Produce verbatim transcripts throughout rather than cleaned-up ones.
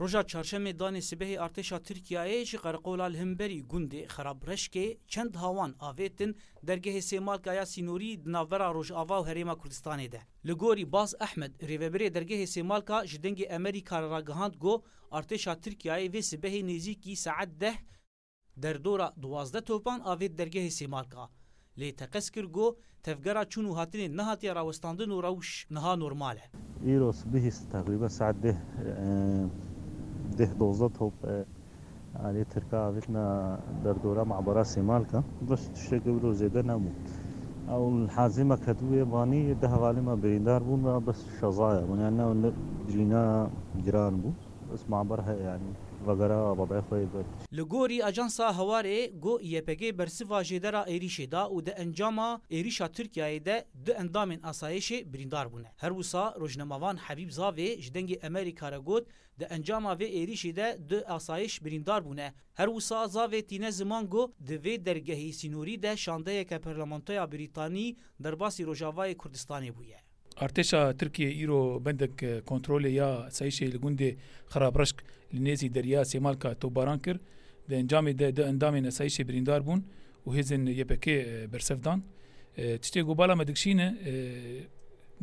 Roja çarşemê danê sibehê artêşa Tirkiyeyê ji qereqola li hemberî gundê Xerabreşkê çend hawan avêtin dergehê Sêmalka ya sînorî di navbera Rojava û Herêma Kurdistanê de. Li gorî Baz Ehmed, rêvebirê dergehê Sêmalka ji Dengê Emerîka re ragihand ku artêşa Tirkiyeyê vê sibehê nêzîkî saet deh derdora duwazdeh topan avêt dergehê Sêmalka. Lê teqez kir ku tevgera çûn û hatinê nehatiye rawestandin û rewş niha normal e. Îro sibihî teqrîben saet deh, e, deh dozdeh top, e, alî Tirka avêtina derdora mabara Sêmalka. Bes tiştekî wilo zêde nebû. Ew hazî me ketibûye banî, deh hevalê me birîndar bûn ve bes şezaya bûn. Yani ne, ne birîna giran bû. Bes maber heye yani. Vegera babaya xwe yê ber. Li gorî Ajansa Hawarê, ku Y P G bersiva jêdera êrîşê da û di encama êrîşa Tirkiyeyê de du endamên asayişê birîndar bûne. Her wisa rojnamevan Habîb Zavê ji Dengê Emerîka re got, di encama vê êrîşê de du asayiş birîndar bûne. Her wisa Zavê tîne ziman ku di vê dergehê sînorî de şandeyeke parlamentoya Brîtanî derbasî Rojavayê Kurdistanê bûye. Artêşa Tirkiyê îro bendek, e, kontrolê ya asayişê li gundê Xerabreşk li nêzî Derya Sêmalka topbaran kir. Di encamê de du endamên asayişê birîndar bûn û hêzên Y P G, e, bersev dan. E, tiştê ku bala me dikişîne, e,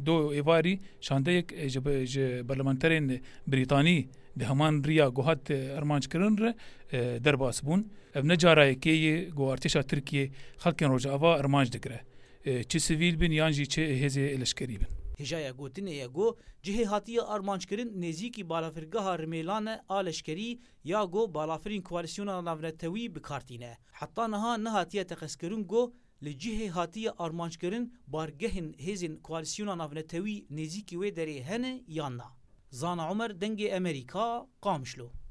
do êvarî şandeyek, e, ji be-, ji parlamenterên Brîtanî di heman riya ku hat, e, armanc kirin re, e, derbas bûn. Ev ne cara yekê ye ku artêşa Tirkiyê xelkên Rojava armanc digire. E, çi sivîl bin yan jî çi hêzê leşkerî bin. Hêjaya gotinê ye ku cihê hatiye armanckirin nêzîkî balafirgeha Rimêlan e a leşkerî ya ku balafirên koalîsyona navnetewî bi kar tîne. Heta niha nehatiye teqezkirin ku li cihê hatiye armanckirin bargehên hêzên koalîsyona navnetewî nêzîkî wê derê hene yan na. Zana Omer, Dengê Emerîka, Qamişlo.